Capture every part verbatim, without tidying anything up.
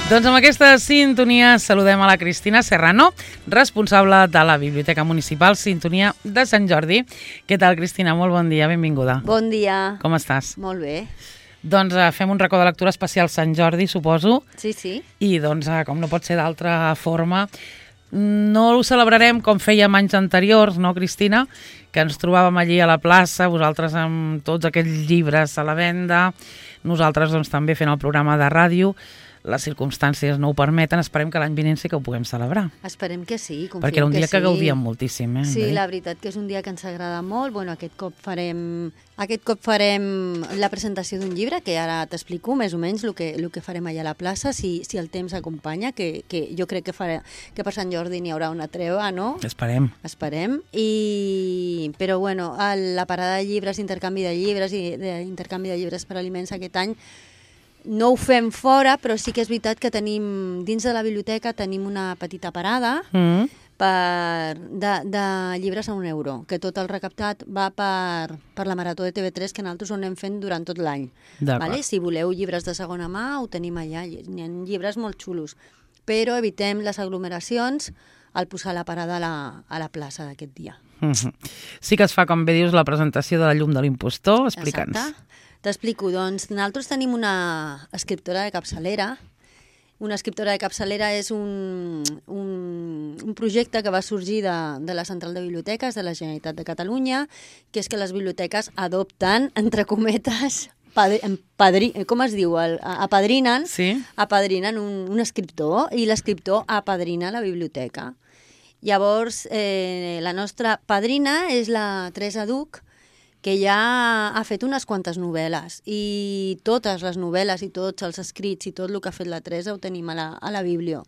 Doncs amb aquesta sintonia saludem a la Cristina Serrano, responsable de la Biblioteca Municipal Sintonia de Sant Jordi. Què tal, Cristina? Molt bon dia, benvinguda. Bon dia. Com estàs? Molt bé. Doncs eh, fem un racó de lectura especial Sant Jordi, suposo. Sí, sí. I doncs, eh, com no pot ser d'altra forma, no ho celebrarem com fèiem anys anteriors, no, Cristina? Que ens trobàvem allí a la plaça, vosaltres amb tots aquells llibres a la venda, nosaltres doncs, també fent el programa de ràdio. Les circumstàncies no ho permeten, esperem que l'any vinent sí que ho puguem celebrar. Esperem que sí, confiem que sí. Perquè era un dia que, que gaudíem moltíssim. Eh, sí, la veritat que és un dia que ens agrada molt. Bueno, aquest cop farem, aquest cop farem la presentació d'un llibre, que ara t'explico més o menys el que, el que farem allà a la plaça, si, si el temps acompanya, que, que jo crec que, farà, que per Sant Jordi n'hi haurà una treva, no? Esperem. Esperem. I... Però bueno, la parada de llibres, intercanvi de llibres i intercanvi de llibres per aliments aquest any, no ho fem fora, però sí que és veritat que tenim, dins de la biblioteca tenim una petita parada mm. per, de, de llibres a un euro, que tot el recaptat va per, per la Marató de T V tres, que nosaltres ho anem fent durant tot l'any. Vale? Si voleu llibres de segona mà, ho tenim allà, n'hi ha llibres molt xulos, però evitem les aglomeracions al posar la parada a la, a la plaça d'aquest dia. Mm-hmm. Sí que es fa, com bé dius, la presentació de La llum de l'impostor, explica'ns. Exacte. T'explico, doncs nosaltres tenim una escriptora de capçalera. Una escriptora de capçalera és un, un, un projecte que va sorgir de, de la Central de Biblioteques de la Generalitat de Catalunya, que és que les biblioteques adopten, entre cometes, padri, padri, com es diu? El, apadrinen, sí. apadrinen un, un escriptor, i l'escriptor apadrina la biblioteca. Llavors, eh, la nostra padrina és la Teresa Duch, que ja ha fet unes quantes novel·les, i totes les novel·les i tots els escrits i tot el que ha fet la Teresa ho tenim a la, a la Biblio.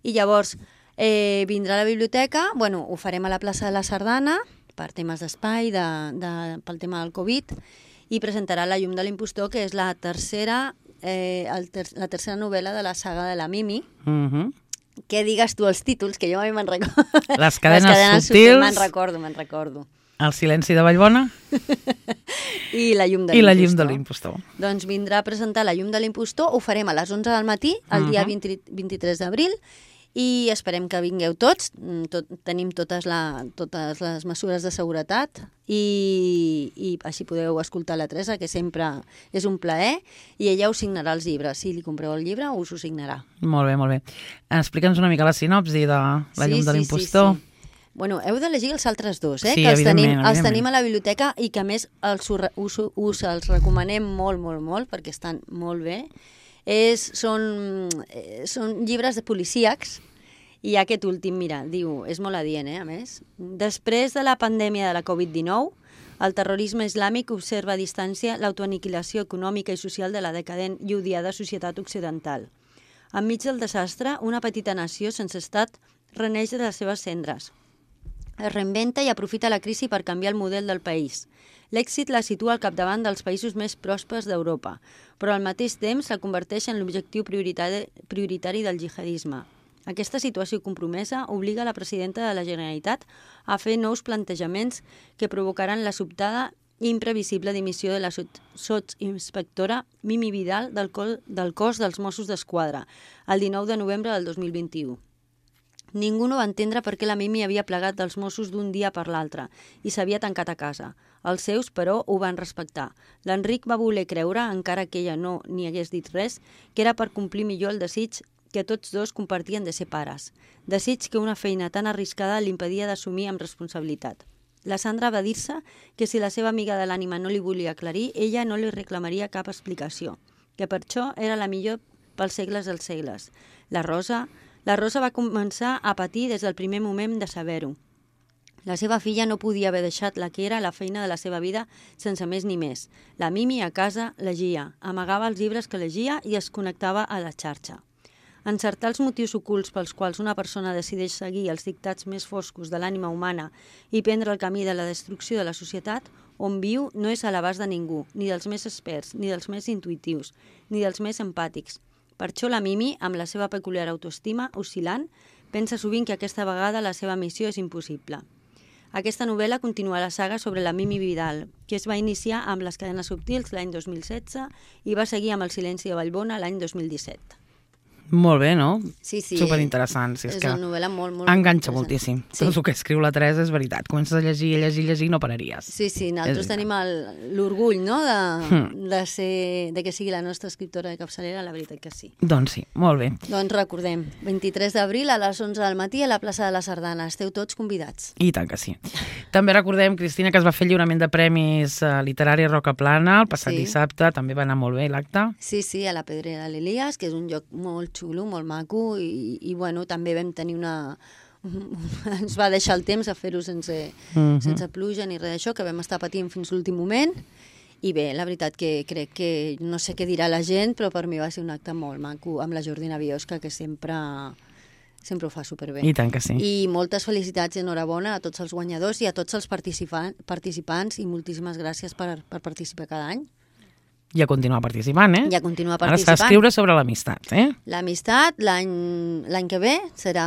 I llavors eh, vindrà a la biblioteca, bueno, ho farem a la plaça de la Sardana, per temes d'espai, de, de, pel tema del Covid, i presentarà La llum de l'impostor, que és la tercera, eh, el ter la tercera novel·la de la saga de la Mimi. Mhm. Què digues tu els títols, que jo mai me'n recordo. Les cadenes, Les cadenes subtils. Me'n recordo, me'n recordo. El silenci de Vallbona. I La llum de l'impostor. I La llum de l'impostor. Doncs vindrà a presentar La llum de l'impostor, ho farem a les onze del matí, el dia uh -huh. vint-i-tres d'abril, i esperem que vingueu tots. Tot, tenim totes, la, totes les mesures de seguretat i, i així podeu escoltar la Teresa, que sempre és un plaer, i ella us signarà els llibres. Si li compreu el llibre, us ho signarà. Molt bé, molt bé. Explica'ns una mica la sinopsi de La llum sí, de l'impostor. Sí, sí, sí. Bueno, heu de llegir els altres dos, eh? Sí, que els tenim, evidentment. els tenim a la biblioteca i que a més els, us, us els recomanem molt, molt, molt, perquè estan molt bé. És, són, eh, són llibres de policíacs, i aquest últim, mira, diu, és molt adient, eh, a més. Després de la pandèmia de la Covid dinou, el terrorisme islàmic observa a distància l'autoaniquilació econòmica i social de la decadent i odiada societat occidental. Enmig del desastre, una petita nació sense estat reneix de les seves cendres. Es reinventa i aprofita la crisi per canviar el model del país. L'èxit la situa al capdavant dels països més pròspers d'Europa, però al mateix temps la converteix en l'objectiu prioritari, prioritari del jihadisme. Aquesta situació compromesa obliga la presidenta de la Generalitat a fer nous plantejaments que provocaran la sobtada i imprevisible dimissió de la sotsinspectora Mimi Vidal del, col, del cos dels Mossos d'Esquadra el dinou de novembre del dos mil vint-i-u. Ningú no va entendre per què la Mimi havia plegat dels Mossos d'un dia per l'altre i s'havia tancat a casa. Els seus, però, ho van respectar. L'Enric va voler creure, encara que ella no n'hi hagués dit res, que era per complir millor el desig que tots dos compartien de ser pares. Desig que una feina tan arriscada l'impedia d'assumir amb responsabilitat. La Sandra va dir-se que si la seva amiga de l'ànima no li volia aclarir, ella no li reclamaria cap explicació, que per això era la millor pels segles dels segles. La Rosa... La Rosa va començar a patir des del primer moment de saber-ho. La seva filla no podia haver deixat la que era la feina de la seva vida sense més ni més. La Mimi a casa llegia, amagava els llibres que llegia i es connectava a la xarxa. Encertar els motius ocults pels quals una persona decideix seguir els dictats més foscos de l'ànima humana i prendre el camí de la destrucció de la societat on viu no és a l'abast de ningú, ni dels més experts, ni dels més intuitius, ni dels més empàtics. Per això la Mimi, amb la seva peculiar autoestima oscil·lant, pensa sovint que aquesta vegada la seva missió és impossible. Aquesta novel·la continua la saga sobre la Mimi Vidal, que es va iniciar amb Les cadenes subtils l'any dos mil setze i va seguir amb El silenci de Vallbona l'any dos mil disset. Molt bé, no? Sí, sí. Superinteressant. Si és, és que una novel·la molt, molt... enganxa interessant. moltíssim. Sí. Tot el que escriu la Teresa és veritat. Comences a llegir, a llegir, a llegir, no pararies. Sí, sí, nosaltres És tenim el- l'orgull, no?, de, Hmm. de, ser, de que sigui la nostra escriptora de capçalera, la veritat que sí. Doncs sí, molt bé. Doncs recordem, vint-i-tres d'abril a les onze del matí a la plaça de la Sardana. Esteu tots convidats. I tant que sí. També recordem, Cristina, que es va fer el lliurament de premis eh, literari a Rocaplana el passat Sí. dissabte. També va anar molt bé l'acte. Sí, sí, a la Pedrera de l'Elias, que és un lloc molt xulo, molt maco, i, i bueno, també vam tenir una... ens va deixar el temps a fer-ho sense, Mhm. sense pluja ni res d'això, que vam estar patint fins l'últim moment. I bé, la veritat que crec que no sé què dirà la gent, però per mi va ser un acte molt maco amb la Jordina Biosca, que sempre, sempre ho fa superbé. I tant que sí. I moltes felicitats i enhorabona a tots els guanyadors i a tots els participa participants i moltíssimes gràcies per, per participar cada any. I a continuar participant, eh? I a continuar Ara està a participant. escriure sobre l'amistat, eh? L'amistat l'any l'any que ve serà...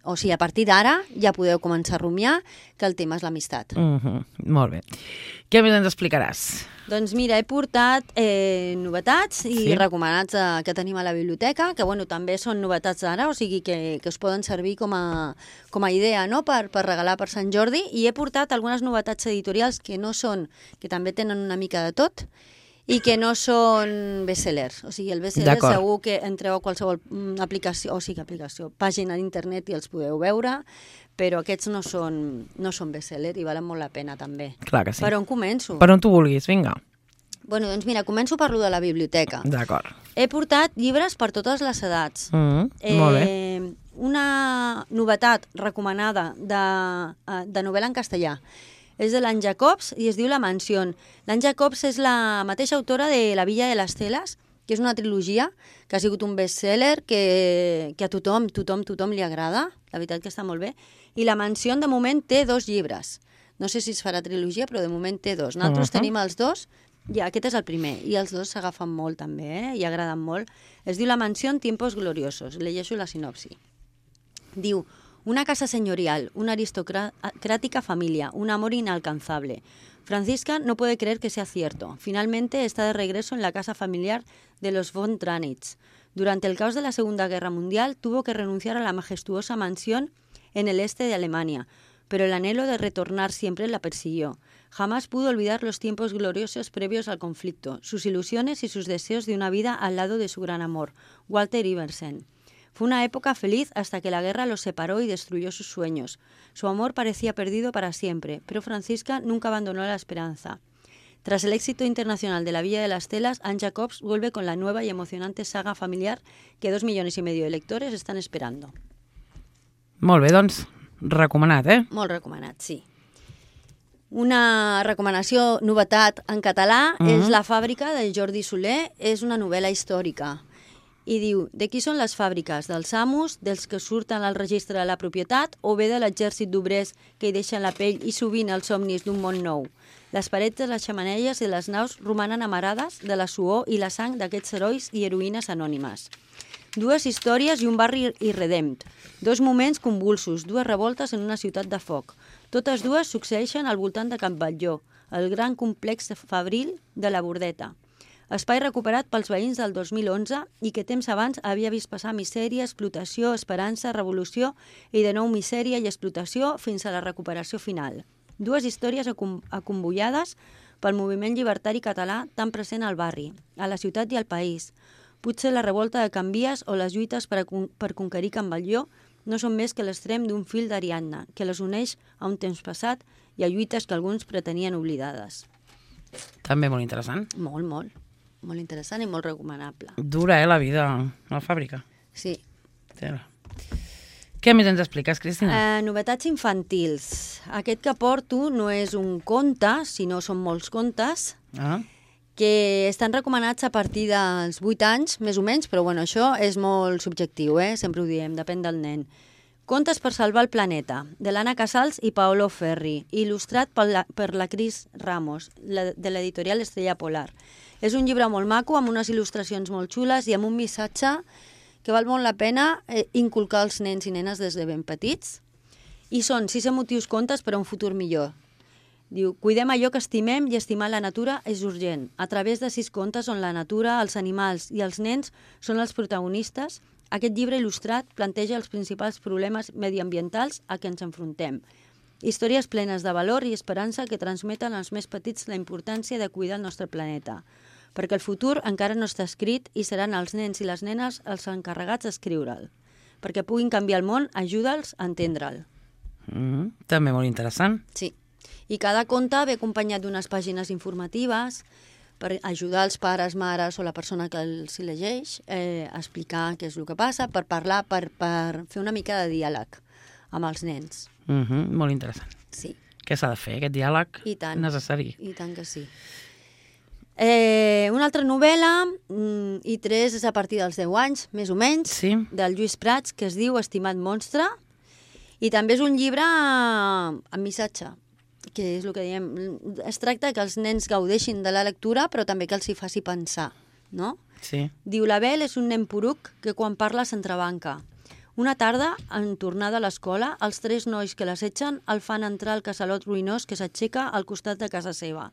O sigui, a partir d'ara ja podeu començar a rumiar que el tema és l'amistat. Mm -hmm. Molt bé. Què més ens explicaràs? Doncs mira, he portat eh, novetats i Sí. recomanats eh, que tenim a la biblioteca, que bueno, també són novetats d'ara, o sigui que, que us poden servir com a, com a idea, no?, per, per regalar per Sant Jordi. I he portat algunes novetats editorials que no són, que també tenen una mica de tot, i que no són bestsellers. O sigui, el bestseller segur que entreu a qualsevol mm, aplicació, o sigui, aplicació, pàgina d'internet i els podeu veure, però aquests no són, no són bestseller i valen molt la pena també. Clar que sí. Per on començo? Per on tu vulguis, vinga. Bueno, doncs mira, començo per lo de la biblioteca. D'acord. He portat llibres per totes les edats. Mm -hmm. Eh, Molt bé. Una novetat recomanada de, de novel·la en castellà és de l'Anne Jacobs i es diu La Mansión. L'Anne Jacobs és la mateixa autora de La Villa de les Teles, que és una trilogia que ha sigut un bestseller que, que a tothom, tothom, tothom li agrada. La veritat que està molt bé. I La Mansión, de moment, té dos llibres. No sé si es farà trilogia, però de moment té dos. Nosaltres uh -huh. tenim els dos, i aquest és el primer, i els dos s'agafen molt també, eh? I agraden molt. Es diu La Mansión, tiempos gloriosos. Llegeixo la sinopsi. Diu: una casa señorial, una aristocrática familia, un amor inalcanzable. Franziska no puede creer que sea cierto. Finalmente está de regreso en la casa familiar de los von Tranitz. Durante el caos de la Segunda Guerra Mundial tuvo que renunciar a la majestuosa mansión en el este de Alemania, pero el anhelo de retornar siempre la persiguió. Jamás pudo olvidar los tiempos gloriosos previos al conflicto, sus ilusiones y sus deseos de una vida al lado de su gran amor, Walter Iversen. Fue una época feliz hasta que la guerra los separó y destruyó sus sueños. Su amor parecía perdido para siempre, pero Franziska nunca abandonó la esperanza. Tras el éxito internacional de La Villa de las Telas, Anne Jacobs vuelve con la nueva y emocionante saga familiar que dos millones y medio de lectores están esperando. Molt bé, doncs, recomanat, eh? Molt recomanat, sí. Una recomanació, novetat en català, mm-hmm. és La fàbrica de Jordi Soler. És una novel·la històrica. I diu: de qui són les fàbriques? Dels amos, dels que surten al registre de la propietat, o bé de l'exèrcit d'obrers que hi deixen la pell i sovint els somnis d'un món nou? Les parets de les xemeneies i les naus romanen amarades de la suor i la sang d'aquests herois i heroïnes anònimes. Dues històries i un barri irredemt. Dos moments convulsos, dues revoltes en una ciutat de foc. Totes dues succeeixen al voltant de Can Batlló, el gran complex fabril de la Bordeta. Espai recuperat pels veïns del dos mil onze i que temps abans havia vist passar misèria, explotació, esperança, revolució i de nou misèria i explotació fins a la recuperació final. Dues històries acomboiades pel moviment llibertari català tan present al barri, a la ciutat i al país. Potser la revolta de Can Vies o les lluites per, a, per conquerir Can Batlló no són més que l'extrem d'un fil d'Ariadna que les uneix a un temps passat i a lluites que alguns pretenien oblidades. També molt interessant. Molt, molt. Molt interessant i molt recomanable. Dura, eh, la vida a la fàbrica. Sí. Tela. Què més ens expliques, Cristina? Eh, novetats infantils. Aquest que porto no és un conte, sinó són molts contes, Ah. que estan recomanats a partir dels vuit anys, més o menys, però bueno, això és molt subjectiu, eh? Sempre ho diem, depèn del nen. Contes per salvar el planeta, de l'Anna Casals i Paolo Ferri, il·lustrat per la, per la Cris Ramos, la, de l'editorial Estrella Polar. És un llibre molt maco, amb unes il·lustracions molt xules i amb un missatge que val molt la pena eh, inculcar als nens i nenes des de ben petits. I són sis emotius contes per a un futur millor. Diu: cuidem allò que estimem i estimar la natura és urgent. A través de sis contes on la natura, els animals i els nens són els protagonistes, Aquest llibre il·lustrat planteja els principals problemes mediambientals a què ens enfrontem. Històries plenes de valor i esperança que transmeten als més petits la importància de cuidar el nostre planeta, perquè el futur encara no està escrit i seran els nens i les nenes els encarregats d'escriure'l. Perquè puguin canviar el món, ajuda'ls a entendre'l. Mm, també molt interessant. Sí. I cada conte ve acompanyat d'unes pàgines informatives per ajudar els pares, mares o la persona que els llegeix eh, a explicar què és el que passa, per parlar, per, per fer una mica de diàleg amb els nens. Mm -hmm, molt interessant. Sí. Què s'ha de fer, aquest diàleg I tant, necessari? I tant que sí. Eh, una altra novel·la, mm, i tres és a partir dels deu anys, més o menys, Sí. del Lluís Prats, que es diu Estimat monstre, i també és un llibre amb missatge, que és el que diem. Es tracta que els nens gaudeixin de la lectura, però també que els hi faci pensar, no? Sí. Diu, l'Abel és un nen poruc que quan parla s'entrebanca. Una tarda, en tornada a l'escola, els tres nois que l'assetgen el fan entrar al casalot ruïnós que s'aixeca al costat de casa seva.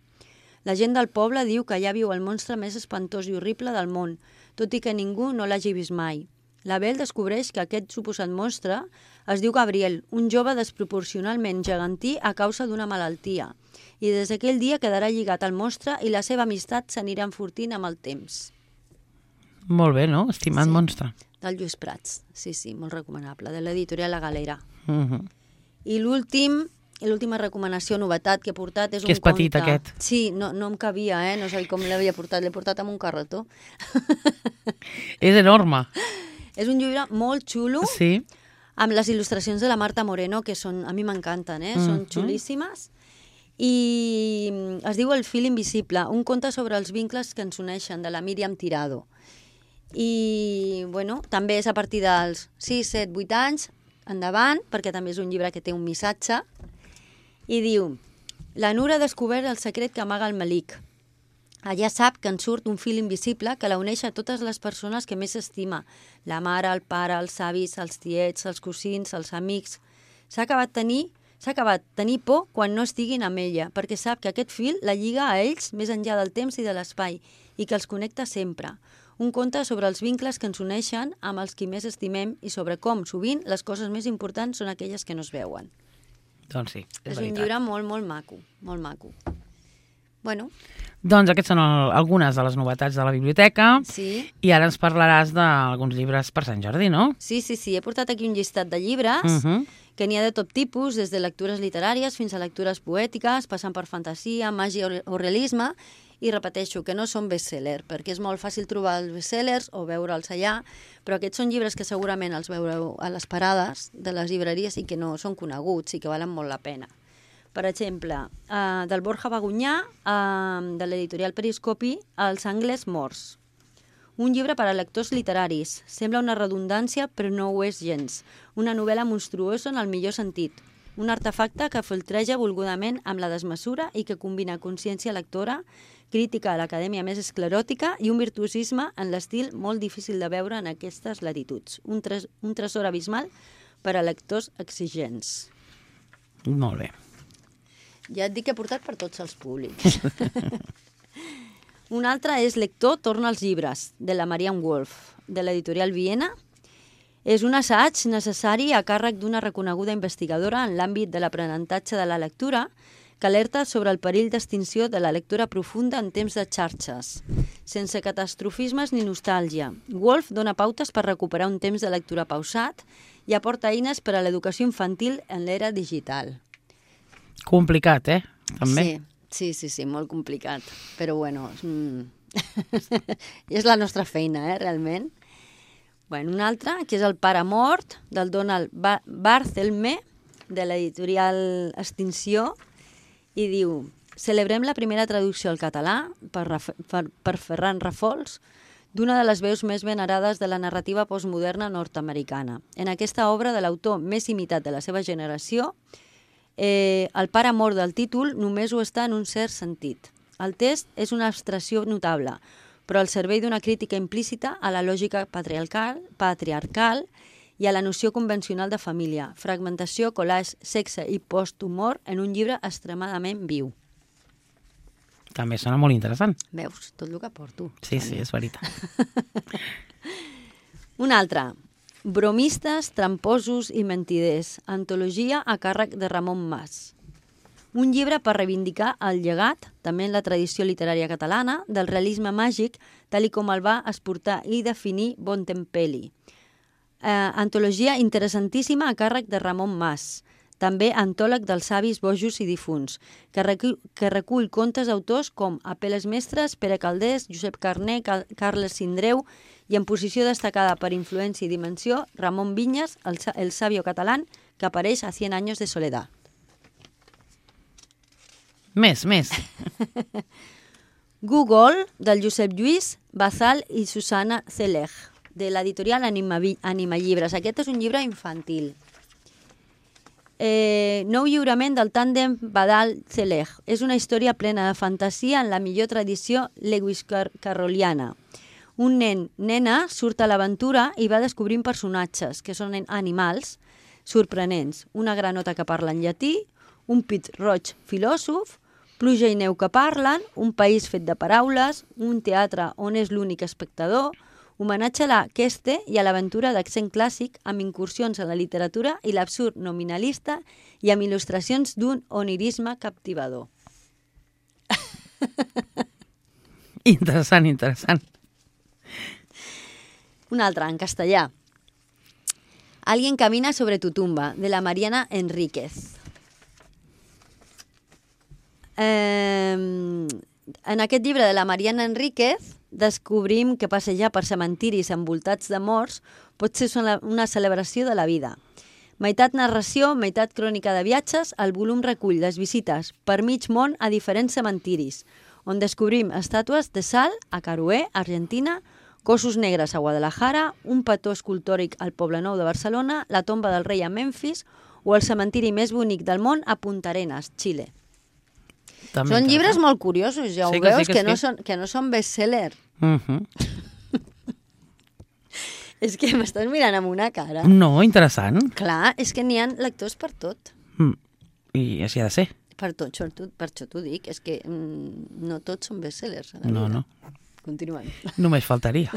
La gent del poble diu que allà viu el monstre més espantós i horrible del món, tot i que ningú no l'hagi vist mai. L'Abel descobreix que aquest suposat monstre es diu Gabriel, un jove desproporcionalment gegantí a causa d'una malaltia, i des d'aquell dia quedarà lligat al monstre i la seva amistat s'anirà enfortint amb el temps. Molt bé, no? Estimat Sí. monstre. Del Lluís Prats, sí, sí, molt recomanable, de l'editorial La Galera. Mm -hmm. I l'últim, l'última recomanació, novetat que he portat és un Que és petit, conte. aquest. Sí, no, no em cabia, eh? No sé com l'havia portat, l'he portat amb un carretó. És enorme. És un llibre molt xulo, Sí. amb les il·lustracions de la Marta Moreno, que són, a mi m'encanten, eh? Mhm. Són xulíssimes. I es diu El fil invisible, un conte sobre els vincles que ens uneixen, de la Míriam Tirado. I, bueno, també és a partir dels sis, set, vuit anys, endavant, perquè també és un llibre que té un missatge, i diu: la Nura ha descobert el secret que amaga el Malik. Allà sap que en surt un fil invisible que la uneix a totes les persones que més estima, la mare, el pare, els avis, els tiets, els cosins, els amics. S'ha acabat tenir, s'ha acabat tenir por quan no estiguin amb ella, perquè sap que aquest fil la lliga a ells més enllà del temps i de l'espai i que els connecta sempre. Un conte sobre els vincles que ens uneixen amb els qui més estimem i sobre com, sovint, les coses més importants són aquelles que no es veuen. Doncs sí, és, És veritat. un llibre molt, molt maco, molt maco. Bueno, Doncs aquestes són el, algunes de les novetats de la biblioteca. sí, I ara ens parlaràs d'alguns llibres per Sant Jordi, no? sí, sí, sí. He portat aquí un llistat de llibres Uh -huh. que n'hi ha de tot tipus, des de lectures literàries fins a lectures poètiques, passant per fantasia, màgia o realisme, i repeteixo que no són best-seller, perquè és molt fàcil trobar els best-sellers o veure'ls allà, però aquests són llibres que segurament els veureu a les parades de les llibreries i que no són coneguts i que valen molt la pena. Per exemple, eh, del Borja Bagunyà, eh, de l'editorial Periscopi, Els angles morts. Un llibre per a lectors literaris. Sembla una redundància, però no ho és gens. Una novel·la monstruosa en el millor sentit. Un artefacte que filtreja volgudament amb la desmesura i que combina consciència lectora, crítica a l'acadèmia més escleròtica i un virtuosisme en l'estil molt difícil de veure en aquestes latituds. Un, tres, un tresor abismal per a lectors exigents. Molt bé. Ja et dic que he portat per tots els públics. Un altre és Lector torna als llibres, de la Marianne Wolf, de l'editorial Viena. És un assaig necessari a càrrec d'una reconeguda investigadora en l'àmbit de l'aprenentatge de la lectura que alerta sobre el perill d'extinció de la lectura profunda en temps de xarxes, sense catastrofismes ni nostàlgia. Wolf dona pautes per recuperar un temps de lectura pausat i aporta eines per a l'educació infantil en l'era digital. Complicat, eh? També. Sí, sí, sí, sí, molt complicat. Però bueno, mm, és la nostra feina, eh, realment. Bueno, un altre, que és El pare mort, del Donald Ba- Barthelme, de l'editorial Extinció, i diu: celebrem la primera traducció al català per, Raf per, per Ferran Rafols d'una de les veus més venerades de la narrativa postmoderna nord-americana. En aquesta obra de l'autor més imitat de la seva generació, eh, el pare mort del títol només ho està en un cert sentit. El text és una abstracció notable, però al servei d'una crítica implícita a la lògica patriarcal, patriarcal i a la noció convencional de família, fragmentació, collage, sexe i posthumor en un llibre extremadament viu. També sona molt interessant. Veus? Tot el que porto. Sí, sí, és veritat. Un altre, Bromistes, tramposos i mentiders, antologia a càrrec de Ramon Mas. Un llibre per reivindicar el llegat, també en la tradició literària catalana, del realisme màgic, tal i com el va exportar i definir Bontempelli. Eh, antologia interessantíssima a càrrec de Ramon Mas, també antòleg dels savis, bojos i difunts, que recull, que recull contes d'autors com Apeles Mestres, Pere Calders, Josep Carner, Cal Carles Sindreu i en posició destacada per influència i dimensió, Ramon Vinyes, el, el sabio català, que apareix a Cien años de soledad. Més, més. Google, del Josep Lluís Bazal i Susana Celeg, de l'editorial Anima, Anima Llibres. Aquest és un llibre infantil. Eh, nou lliurament del tàndem Badal-Celeg. És una història plena de fantasia en la millor tradició lewis-carrolliana. Un nen, nena, surt a l'aventura i va descobrint personatges, que són animals sorprenents. Una granota que parla en llatí, un pit roig filòsof, pluja i neu que parlen, un país fet de paraules, un teatre on és l'únic espectador, homenatge a la Queste i a l'aventura d'accent clàssic amb incursions en la literatura i l'absurd nominalista i amb il·lustracions d'un onirisme captivador. Interessant, interessant. Un altre, en castellà. Alguien camina sobre tu tumba, de la Mariana Enríquez. Eh, en aquest llibre de la Mariana Enríquez descobrim que passejar per cementiris envoltats de morts pot ser una celebració de la vida. Meitat narració, meitat crònica de viatges, el volum recull les visites per mig món a diferents cementiris, on descobrim estàtues de sal a Carué, Argentina, cossos negres a Guadalajara, un petó escultòric al Poblenou de Barcelona, la tomba del rei a Memphis o el cementiri més bonic del món a Punta Arenas, Xile. També són llibres molt curiosos, ja sí ho que veus, sí que que, sí. no són, que no són best-seller. Uh -huh. És que m'estàs mirant amb una cara. No, interessant. Clar, és que n'hi ha lectors per tot. Mm. I així ha de ser. Per tot, per això t'ho dic, és que mm, no tots són best-sellers. No, no. Continuem. Només faltaria.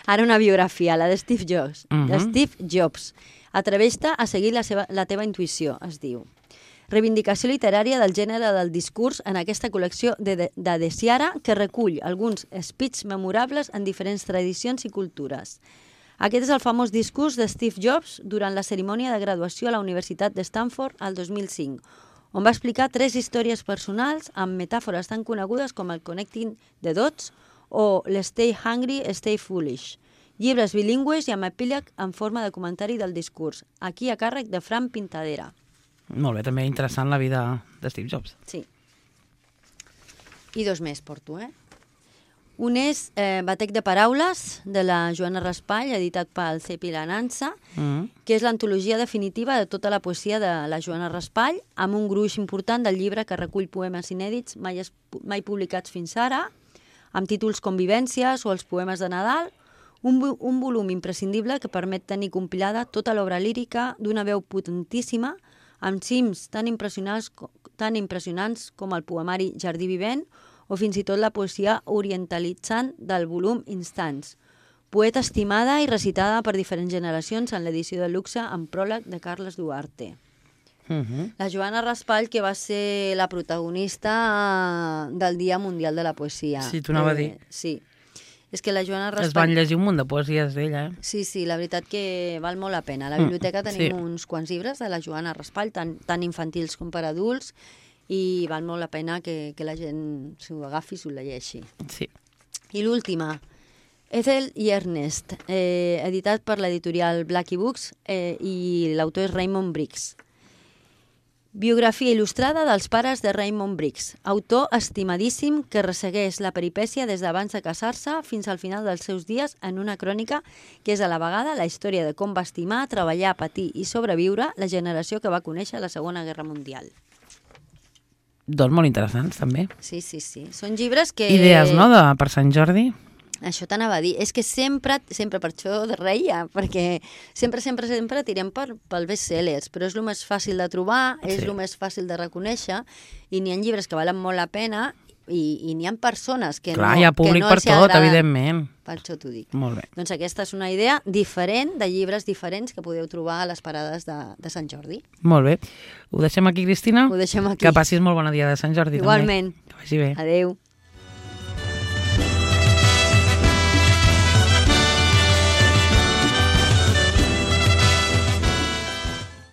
Ara una biografia, la de Steve Jobs. Uh -huh. De Steve Jobs. Atreveix-te a seguir la, seva, la teva intuïció, es diu. Reivindicació literària del gènere del discurs en aquesta col·lecció de, de, de Desiara que recull alguns speeches memorables en diferents tradicions i cultures. Aquest és el famós discurs de Steve Jobs durant la cerimònia de graduació a la Universitat de Stanford al dos mil cinc, on va explicar tres històries personals amb metàfores tan conegudes com el Connecting the Dots o l'Stay Hungry, Stay Foolish. Llibres bilingües i amb epíleg en forma de comentari del discurs, aquí a càrrec de Fran Pintadera. Molt bé, també interessant la vida de Steve Jobs. Sí. I dos més porto, eh? Un és eh, Batec de paraules, de la Joana Raspall, editat pel Cep i la Nansa, mm. que és l'antologia definitiva de tota la poesia de la Joana Raspall, amb un gruix important del llibre que recull poemes inèdits mai, es, mai publicats fins ara, amb títols com Vivències o els poemes de Nadal, un, un volum imprescindible que permet tenir compilada tota l'obra lírica d'una veu potentíssima, amb cims tan impressionants, tan impressionants com el poemari Jardí Vivent o fins i tot la poesia orientalitzant del volum Instants. Poeta estimada i recitada per diferents generacions en l'edició de luxe amb pròleg de Carles Duarte. Uh -huh. La Joana Raspall, que va ser la protagonista del Dia Mundial de la Poesia. Sí, t'ho anava eh, a dir. Sí. És que la Joana Raspall... Es van llegir un munt de poesies d'ella, eh? Sí, sí, la veritat que val molt la pena. A la biblioteca mm, tenim sí. uns quants llibres de la Joana Raspall, tant, tant infantils com per adults, i val molt la pena que, que la gent s'ho agafi i s'ho llegeixi. Sí. I l'última, Ethel i Ernest, eh, editat per l'editorial Blackie Books, eh, i l'autor és Raymond Briggs. Biografia il·lustrada dels pares de Raymond Briggs, autor estimadíssim que ressegueix la peripècia des d'abans de casar-se fins al final dels seus dies en una crònica que és a la vegada la història de com va estimar, treballar, patir i sobreviure la generació que va conèixer la Segona Guerra Mundial. Doncs molt interessants, també. Sí, sí, sí. Són llibres que... Idees, no?, de, per Sant Jordi. Això t'anava a dir. És que sempre, sempre per això de reia, perquè sempre, sempre, sempre tirem per, pel best-sellers, però és el més fàcil de trobar, és sí. el més fàcil de reconèixer, i n'hi ha llibres que valen molt la pena, i, i n'hi ha persones que Clar, no, hi ha públic que no per els hi tot, agraden. evidentment. Per això t'ho dic. Molt bé. Doncs aquesta és una idea diferent de llibres diferents que podeu trobar a les parades de, de Sant Jordi. Molt bé. Ho deixem aquí, Cristina? Ho deixem aquí. Que passis molt bon dia de Sant Jordi. Igualment. També. Que vagi bé. Adéu.